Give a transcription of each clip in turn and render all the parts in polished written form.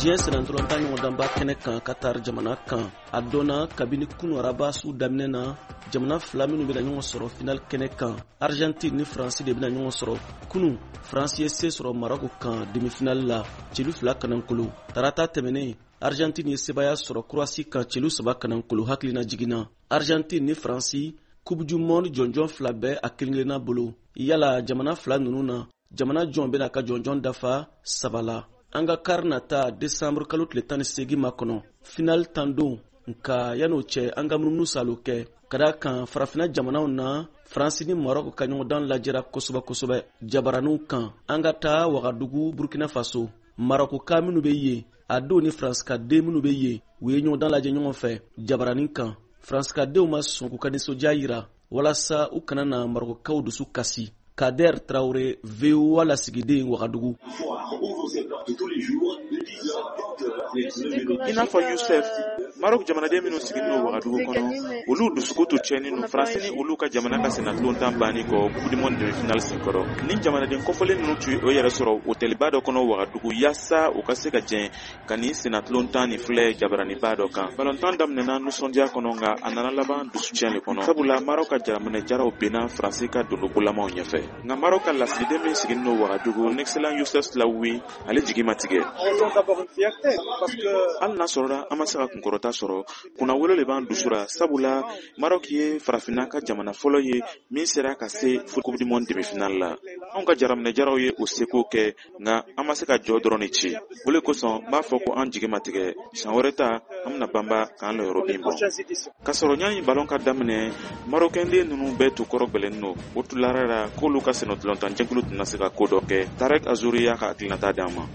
Diɲɛ sennantolatan ɲɔgɔndanba kɛnɛ kan Qatar jamana kan, a dɔnna kabini kunu araba su daminɛ na, jamana fila minnu bɛna ɲɔgɔn sɔrɔ final kɛnɛ kan, Argentine ni Faransi de bɛna ɲɔgɔn sɔrɔ. Kunu, Faransi ye se sɔrɔ Maroc kan demi-finale la, celu 2 kanankolo. Tarata tɛmɛnen, Argentine ye sebaya sɔrɔ Croatie kan celu 3 kanankolo. Hakilina jiginna, Argentine ni Faransi, Coupe du monde jɔnjɔn fila bɛ a kelen-kelenna bolo. Yala jamana fila ninnu na, jamana jɔn bɛna ka jɔnjɔn dafa 3 la? An ka kari nata décembre kalo tile 18 makɔnɔ, final tan don. Nka yan'o cɛ, an ka munumunu salo kɛ ka da kan farafinna jamanaw na, Faransi ni Maroc ka ɲɔgɔndan lajɛra kosɛbɛ kosɛbɛ jabaraniw kan. An ka taa Wagadugu, Burkina Faso. Maroc ka minnu bɛ yen, a dɔw ni Faransi ka den minnu bɛ yen, u ye ɲɔgɔndan lajɛ ɲɔgɔn fɛ jabaranin kan. Faransi ka denw ma sɔn k'u ka nisɔndiya yira walasa u kana na Marocaw dusu kasi. Kader Traoré, VOA lasigiden Wagadugu. I n'a fɔ Youssef, Maroc jamanaden minnu sigilen don Wagadugu kɔnɔ, olu dusukun tun tiɲɛnen don Faransi ni olu ka jamana ka sennantolatan banni kɔ Coupe du monde demi-finale senkɔrɔ. Ni jamanaden kɔfɔlen ninnu tun ye o yɛrɛ sɔrɔ hôtelba dɔ kɔnɔ Wagadugu yaasa u ka se ka jɛn ka nin sennantolatan nin filɛ jabaraniba dɔ kan. Balontan daminɛna nisɔndiya kɔnɔ, nka a nana laban dusutiɲɛ de kɔnɔ, sabula Maroc ka jaraminɛ jaraw benna Faransi ka dondobolamaw ɲɛfɛ. Nka Maroc ka lasigiden min sigilen don Wagadugu, l'excellent Youssef Slaoui, ale jigi ma tigɛ. Hali n'a sɔrɔla an ma se ka kunkɔrɔta sɔrɔ, kunnawolo de b'an dusu la, sabula Maroc ye farafinna ka jamana fɔlɔ ye min sera ka se Coupe du monde demi-finale la. Anw ka jaraminɛ jaraw ye o seko kɛ, nka an ma se ka jɔ dɔrɔn de ci. O le kosɔn n b'a fɔ ko an jigi ma tigɛ. San wɛrɛ ta, an bɛna banba k'an lɔyɔrɔ bin bɔ. K'a sɔrɔ ɲani balon ka daminɛ, Marokɛnden ninnu bɛɛ tun kɔrɔ gwɛlɛnnen don. O tun lara la k'olu ka sennantolatan jɛkulu tɛna se ka ko dɔ kɛ. Tarek Azouri y'a ka hakilinata d'an ma.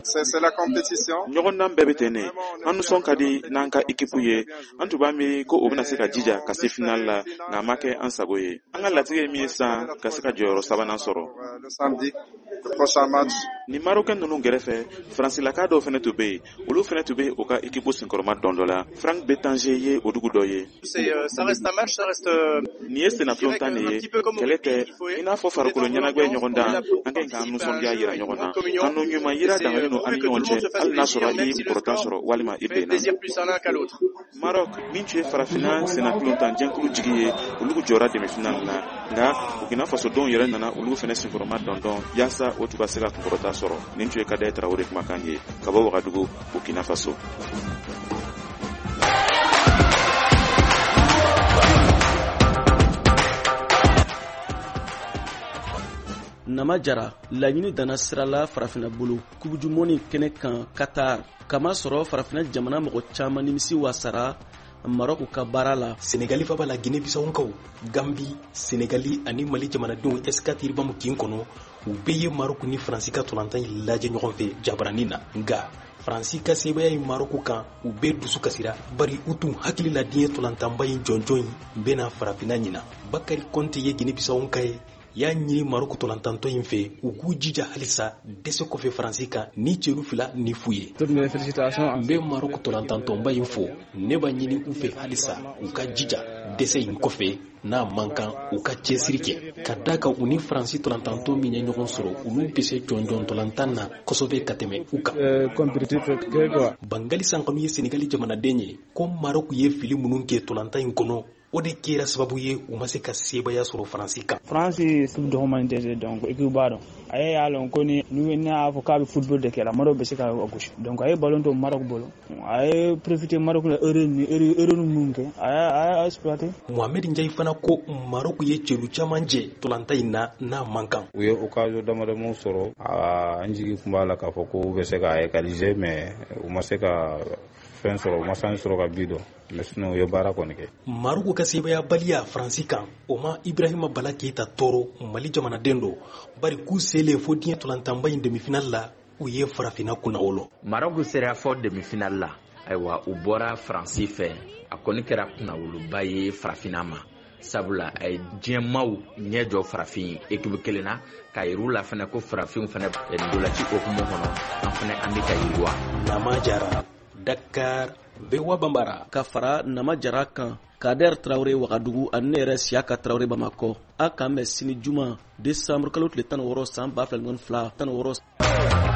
Ɲɔgɔndan bɛɛ bɛ ten de. An nisɔn ka di n'an ka ekipu ye. An tun b'a miiri ko o bɛna se ka jija ka se final la, nka a ma kɛ an sago ye. An ka latigɛ ye min ye sisan, ka se ka jɔyɔrɔ sabanan sɔrɔ. Ni Marokɛn ninnu gɛrɛfɛ, Faransilaka dɔw fɛnɛ tun bɛ yen. Olu fɛnɛ tun bɛ u ka ekipu senkɔrɔma dɔn dɔ la. Frank Betange ye o dugu dɔ ye. Nin ye sennantolatan de ye, kɛlɛ tɛ. I n'a fɔ farikolo ɲɛnajɛ ɲɔgɔn dan, an ka ɲi k'an nisɔndiya yira ɲɔgɔn na. Kanu ɲuman yira dangalen don an ni ɲɔgɔn cɛ, hali n'a sɔrɔ i ye kunkɔrɔta sɔrɔ walima i benna. Maroc, min tun ye farafinna sennantolatan jɛkulu jigi ye, olu jɔra demi-finale la. Nka Burkina Faso denw yɛrɛ nana olu fɛnɛ senkɔrɔma dɔndɔn yaasa o tun ka se ka kunkɔrɔta sɔrɔ. Nin tun ye Kader Traoré kumakan ye ka bɔ Wagadugu, Burkina Faso. Nama Jara, laɲini danna sira la farafinna bolo Coupe du monde kɛnɛ kan Qatar, kama sɔrɔ farafinna jamana mɔgɔ caman nimisi wasara Maroc ka baara la. Senegali faba la, Guinée Bissau, Gambi, Senegali ani Mali jamanadenw S4 Iribamu kin kɔnɔ, u bɛɛ ye Maroc ni Faransi ka tolantan in lajɛ ɲɔgɔn fɛ jabaranin na. Nka Faransi ka sebaya ye Maroc kan, u bɛɛ dusu kasira, bari u tun hakili la diɲɛ tolantanba in jɔnjɔn in bɛna farafinna ɲina. Bakari Konte ye Guinée Bissau ka ye, y'a ɲini Maroc tolantantɔ in fɛ u k'u jija halisa dɛsɛ kɔfɛ Faransi kan ni celu 2 ni fu ye. N bɛ Maroc tolantantɔnba in fo, ne b'a ɲini u fɛ halisa u ka jija dɛsɛ in kɔfɛ, n'a man kan u ka cɛsiri kɛ ka da kan u ni Faransi tolantantɔ min ye ɲɔgɔn sɔrɔ, olu bɛ se jɔnjɔn tolantan na kosɛbɛ ka tɛmɛ u kan. Bangali Sankanu ye Senegali jamanaden ye, ko Maroc ye fili minnu kɛ tolantan in kɔnɔ, o de kɛra sababu ye u ma se ka sebaya sɔrɔ Faransi kan. Faransi dɔgɔman tɛ, donc équipe b'a dɔn. A y'a lɔn ko ni n'a y'a fɔ k'a bɛ football de kɛ la, Maroc bɛ se ka gosi. Donc a ye ballon to Maroc bolo, a ye profiter Maroc la erreur ni erreur minnu kɛ, a y'a exploiter. Mohamed Ndiaye fana ko Maroc ye celu caman jɛ tolantan in na n'a man kan. U ye occasion damadamaw sɔrɔ, an jigi tun b'a la k'a fɔ ko u bɛ se ka égaliser, mais u ma se ka fɛn sɔrɔ, u ma san sɔrɔ ka bi dɔn, mais sinon u ye baara kɔni kɛ. Maroc ka sebayabaliya Faransi kan, o ma Ibrahima Bala Keyita tɔɔrɔ, Mali jamanaden don, bari k'u selen fo diɲɛ tolantanba in demi-finale la, u ye farafinna kunnawolo. Maroc sera fɔ demi-finale la, ayiwa u bɔra Faransi fɛ, a kɔni kɛra kunnawoloba ye farafinna ma, sabula a ye diɲɛmaw ɲɛ jɔ farafin ekipu kelen na, k'a yir'u la fɛnɛ ko farafinw fɛnɛ ndolaci hokumu kɔnɔ, an fɛnɛ an bɛ ka yiriwa. Nama Jara, Dakar, VOA Bambara. Ka fara Nama Jara kan, Kader Traoré Wagadugu ani ne yɛrɛ Siyaka Traoré Bamakɔ. A k'an bɛn sini juma décembre kalo tile 16 san 2022 16.